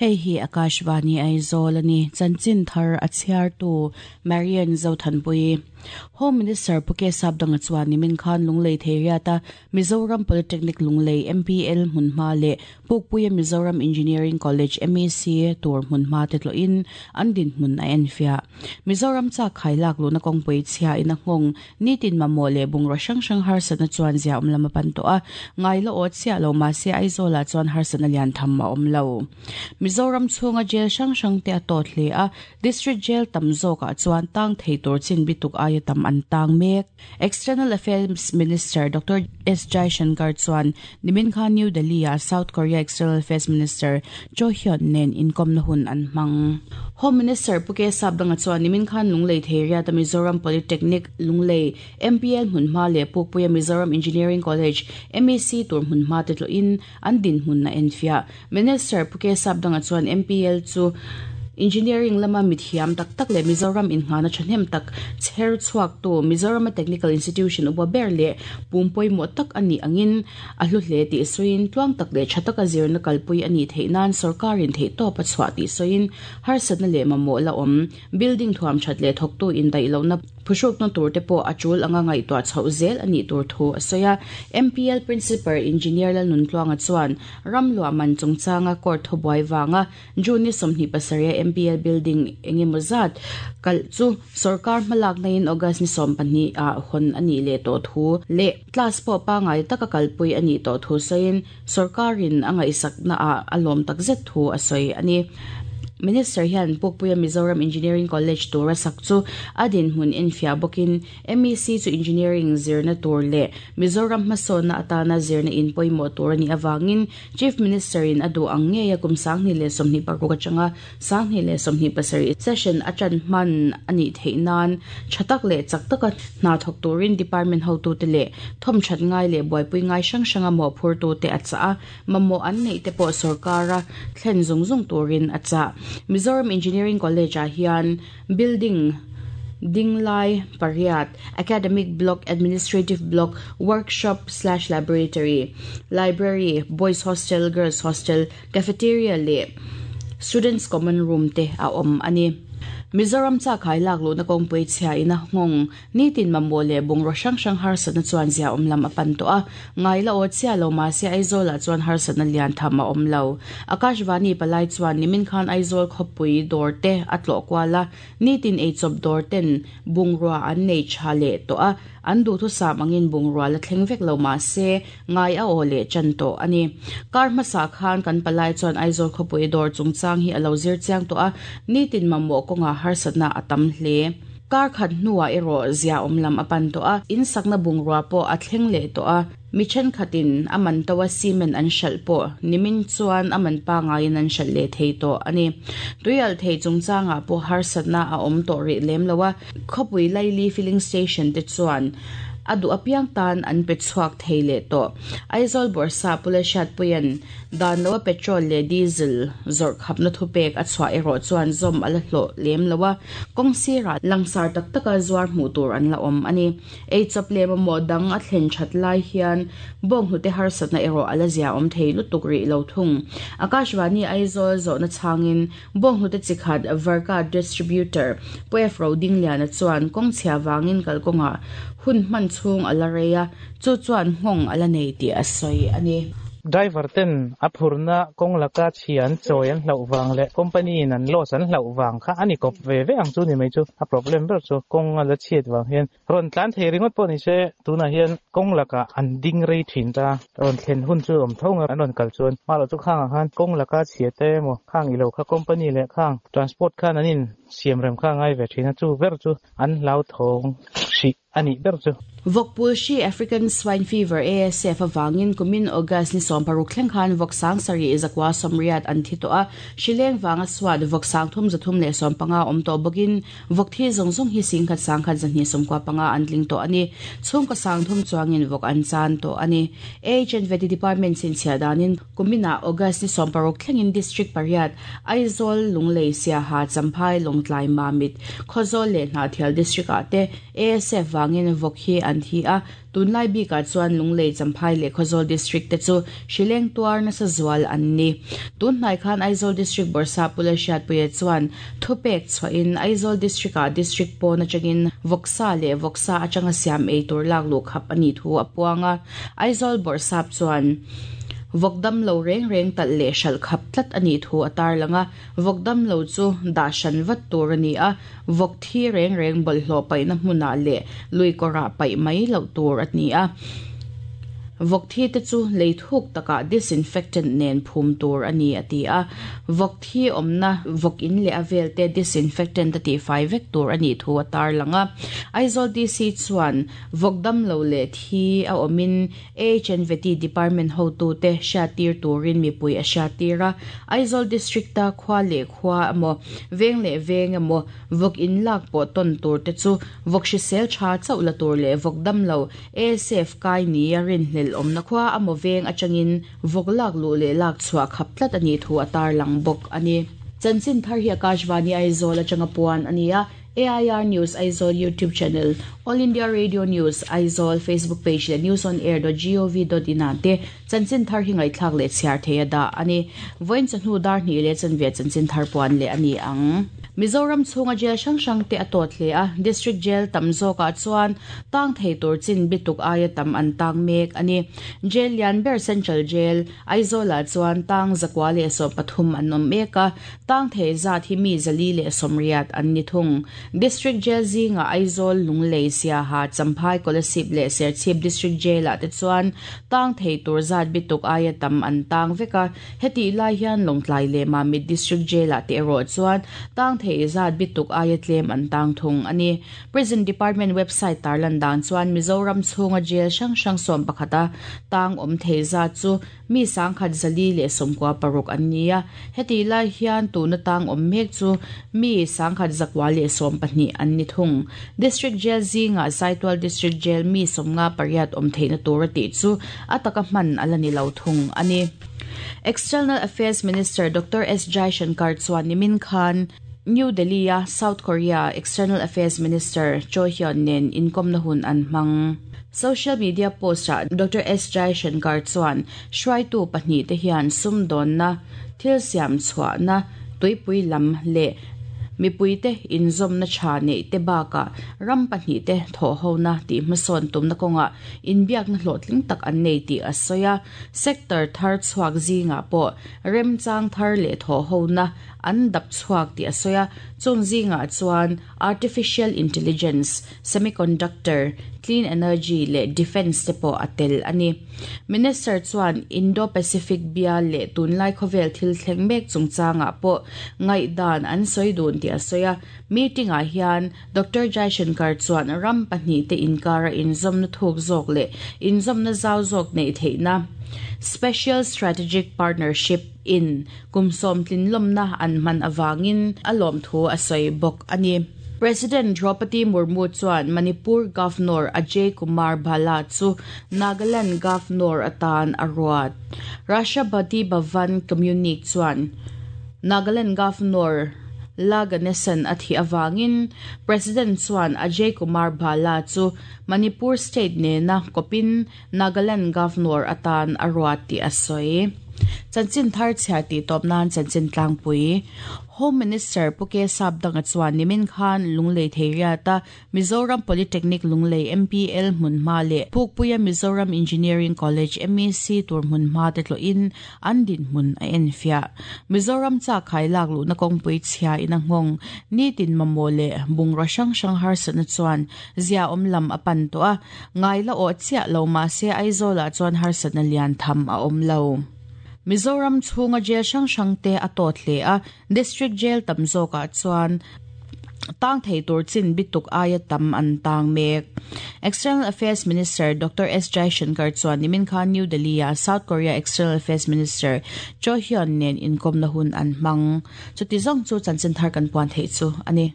Hei hi Akashvani Aizawl a ni. Chanchin thar a chhiartu Marian Zothanpuii. Home Minister Pu K Sapdanga chuan nimin khan Lunglei Theiriata Mizoram Polytechnic Lunglei, MPL, hmunhma leh Pukpuia Mizoram Engineering College, MEC, tur hmunhma te tlawhin an dinhmun a enfiah. Mizoram chak khai lak luhna kawngpui chhia in a nghawng nitin mamawh leh bungraw hrang hrang harsatna chuan zia awm lam a pan tawh a, ngai la awt chiah lo mahse Aizawlah chuan harsatna lian tham a awm lo. Mizoram chhunga jail hrang hrang te a tawt hle a, District Jail tam zawkah chuan tang thei tur chin bituk aia tam an tang mek. External Affairs Minister Doctor S Jaishankar chuan nimin khan New Delhi-ah South Korea External Affairs Minister Cho Hyun nen inkawmna hun an hmang. Home Minister Pu K Sapdanga chuan nimin khan Lunglei Theiriata Mizoram Polytechnic, Lunglei, MPL hmunhma leh Pukpuia Mizoram Engineering College, MEC, tur hmunhma te tlawhin an dinhmun a enfiah. Minister Pu K Sapdanga chuan MPL chu Engineering lama mithiam tak tak leh Mizoram inngahna thahnem tak chher chhuaktu Mizorama Technical Institution upa ber leh pum pawimawh tak a nih angin a hlu hle tih sawiin tluang tak leh tha taka zirna kalpui a nih theih nan sawrkarin theihtawp a chhuah tih sawiin harsatna leh mamawh la awm building thuam that leh thawktu indaih lohna Phuhrukna tur te pawh a tul anga ngaihtuah chhoh zel a nih tur thu a sawi a. MPL Principal Engineer Lalnuntluanga chuan ram luah man chungchanga court thubuai vanga June ni 27 a MPL building eng emaw zat kalh chu sawrkar hmalakna in August ni 12 ah hawn a nih leh tawh thu leh class pawh pangngai taka kalpui a nih tawh thu sawiin sawrkarin a ngaihsakna ah a lawm takzet thu a sawi a ni. Minister hian Pukpuia Mizoram Engineering College tura sak chu a dinhmun enfiah bawkin MEC chu Engineering zirna tur leh Mizoram hmasawnna atana zirna in pawimawh tur a nih avangin Chief Minister in a duh ang ngeia kum 2026 atanga 2027 session a tan hman a nih theih nan tha tak leh chak taka hna thawk turin department hotute leh thawmthat ngai leh buaipui ngai hrang hranga mawhphurtute a chah a. Mamawh an neih te pawh sorkara thlen zung zung turin a chah. Mizoram Engineering College-ah hian building dinglai pariat, academic block, administrative block, workshop slash laboratory, library, boys hostel, girls hostel, cafeteria leh students common room te a awm a ni. Mizoram chakkhai lak luhna kawngpui chhia in a nghawng Nitin mamawh leh bungraw hrang hrang harsatna chuan zia awm lam a pan tawh a, ngai la aw chiah lo mahse Aizawlah chuan harsatna lian tham a awm lo. Akashvani palai chuan nimin khan Aizawl khawpui dawr te a tlawh kual a, nitin eichawp dawr ten bungrua an nei tha leh tawh a, an duhthusam angin bungrua la thleng vek lo mahse ngai a aw leh tan tawh a ni. Kar hmasa khan kan palai chuan Aizawl khawpui dawr chungchang hi a lo zir chiang tawh a, nitin mamawh kawngah harsatna a tam hle. Kar khat hnuah erawh zia awm lam a pan tawh a, in sakna bungrua pawh a thleng leh tawh a, mi thenkhatin a man to a cement an hralh pawh nimin chuan a man pangaiin an hralh leh thei tawh a ni. Tuialh thei chungchangah pawh harsatna a awm tawh rih lem lo a, khawpui Laili filling station te chuan a duh apiang tan an pe chhuak thei leh tawh. Aizawl Bawrhsa Pula Hriatpuia'n Dan loa petrol leh diesel zawrh khapna thupek a chhuah erawh chuan zawm a la hlawh lem lo a, kawng sirah langsar tak taka zuar hmuh tur an la awm a ni. Eichawp leh mamawh dang a thlen that lai hian bawnghnute harsatna erawh a la zia awm thei lutuk rih lo thung. Akashvani Aizawl zawhna chhangin bawnghnute chi khat Varka Distributor Pu F Rodingliana chuan kawng chhia vangin kalkawngah hun hman chhung a la rei a, Chu chuan nghawng a la nei tih a sawi a ni. Driver ten a phurna kawng laka chhia an chawi an hlauh vang leh company in an loss an hlauh vang kha a ni kawp ve ve ang chu ni mai chu. A problem ber chu kawng a la chhiat vang hian rawn tlan thei ringawt pawh ni se tunah hian kawng lakah an ding rei thin ta. Rawn thlen hun chu awm tho ang an rawn kal chuan hma chu khangah khan kawng laka chhia te emaw khang ilo kha company leh khang transport khan an in siam rem kha a ngai ve thin a chu ber chu an hlauthawng hrih. a nih ber chu. Vawkpul hri African Swine Fever, ASF, avangin kumin August ni 16 thleng khan vawk 7000 180 an thi tawh a, hri leng vanga suat vawk 3,315 awm tawh bawkin vawk thi zawng zawng hi 10,000 1,295 an tling tawh a ni. Chhungkaw 30 chuangin vawk an chan tawh a ni. AHNVT Department chhinchhiah danin kuminah August ni 16 thlengin District pariat, Aizawl, Lunglei, Siaha, Champhai, Lawng. Lawngtlai, Mamit, Khawzawl leh Hnahthial District ah te ASF vangin vawk hi an thi a, tunlai bikah chuan Lunglei, Champhai leh Khawzawl District te chu hrileng tuar nasa zual an ni. Tunhnai khan Aizawl District Bawrhsap Pu Lalhriatpuia chuan thupek chhuahin Aizawl District ah District pawn atangin vawksa leh vawksa atanga siam ei tur lak luh khap a nih thu a puang a. Aizawl Bawrhsap chuan vawk damlo reng reng talh leh hralh khap tlat a nih thu a tarlang a, vawk damlo chu dah hran vat tur a ni a, vawk thi reng reng bawlhhlawh paihna hmunah leh lui kawrah paih mai loh tur a ni a. Vawk thi te chu lei thuk takah disinfectant nen phum tur a ni a ti a, vawk thi awmna vawk in leh a vel te disinfectant a tihfai vek tur a nih thu a tarlang a. Aizawl DC chuan Vawk damlo leh thi a awmin AHNVT Department hotute hriattir turin mipui a hriattir a. Aizawl District-a khua leh khua emaw, veng leh veng emaw vawk in lak pawh tawn tur te chu vawk hrisel tha chauh la tur leh vawk damlo ASF kai nia rinhlelh awmna khua emaw veng atangin vawk lak luh leh lak chhuah khap tlat a nih thu a tarlang bawk a ni. Chanchin thar hi Akashvani Aizawl atanga puan a ni a. AIR News Aizawl YouTube channel, All India Radio News Aizawl Facebook page leh newsonair.gov.in ah te chanchin thar hi ngaihthlak leh chhiar thei a dah a ni. Vawiin chawhnu dar hnih leh chanve chanchin thar puan leh a ni ang. Mizoram chhunga jail hrang hrang te a tawt hle a, District Jail tam zawkah chuan tang thei tur chin bituk aia tam an tang mek a ni. Jail lian ber Central Jail, Aizawlah chuan tang 113 an awm mek a, Tang thei zat hi mi 480 an ni thung. District Jail zingah Aizawl, Lunglei, Siaha, Champhai, Kolasib leh Serchhip District Jail-ah te chuan tang thei tur zat bituk aia tam an tang vek a. Hetih lai hian Lawngtlai leh Mamit District Jail-ah te erawh chuan tang thei zat bituk aia tlem an tang thung a ni. Prison Department website tarlan dan chuan Mizoram chhunga jail hrang hrang sawmpakhata tang awm thei zat chu Mi 1426 an ni a, hetih lai hian tuna tang awm mek chu mi 1912 an ni thung. District Jail zingah Saitual District Jail mi 58 awm theihna tur a tih chu a taka hman a la ni lo thung a ni. External Affairs Minister Doctor S Jaishankar chuan nimin khan New Delhi-a South Korea External Affairs Minister Choi Hyun nen inkawmna hun an hmang. Social media post-ah Doctor S Jaishankar chuan hruaitu pahnihte hian sumdawnna, thil siam chhuahna, tuipui lam leh mipuite inzawmna tha neih te bakah ram pahnihte thawhhona tih hmasawn tumna kawngah inbiakna hlawhtling tak an nei tih a sawi a. Sector thar chhuak zingah pawh remchang thar leh thawhhona an dap chhuak tih a sawi a, chung zingah chuan artificial intelligence, semiconductor, clean energy leh defence te pawh a tel a ni. Minister chuan Indo-Pacific bial leh tunlai khawvel thil thleng mek chungchangah pawh ngaihdan an sawi dun tih a sawi a, meeting-ah hian Doctor Jaishankar chuan ram pahnihte inkara inzawmna thuk zawk leh inzawmna zau zawk neih theihna Special Strategic Partnership in Kum sawmtlin lawmna an hman avangin a lawmthu a sawi bawk a ni. President Droupadi Murmu chuan Manipur Governor Ajay Kumar Bhalla chu Nagaland Governor atan a ruat. Rashtrapati Bhavan Communique chuan Nagaland Governor La Ganesan a thih avangin President chuan Ajay Kumar Bhalla chu Manipur State nena kawpin Nagaland Governor atan a ruat tih a sawi. Chanchin thar chhiar tih tawp nan chanchin tlangpui Home Minister Pu K Sapdanga chuan nimin khan Lunglei Theiriata Mizoram Polytechnic Lunglei MPL hmunhma leh Pukpuia Mizoram Engineering College MEC tur hmunhma te tlawhin an dinhmun a enfiah. Mizoram chak khai lak luhna kawngpui chhia in a nghawng nitin mamawh leh bungraw hrang hrang harsatna chuan zia awm lam a pan tawh a. Ngai la awh chiah lo mahse Aizawlah chuan harsatna lian tham a awm lo. Mizoram chhunga jail hrang hrang te a tawt hle a, District Jail tam zawkah chuan tang thei tur chin bituk aia tam an tang mek. External Affairs Minister Doctor S Jaishankar chuan nimin khan New Delhi-a South Korea External Affairs Minister Cho Hyun nen inkawmna hun an hmang. Chuti zawng chu chanchin thar kan puan theih chu a ni.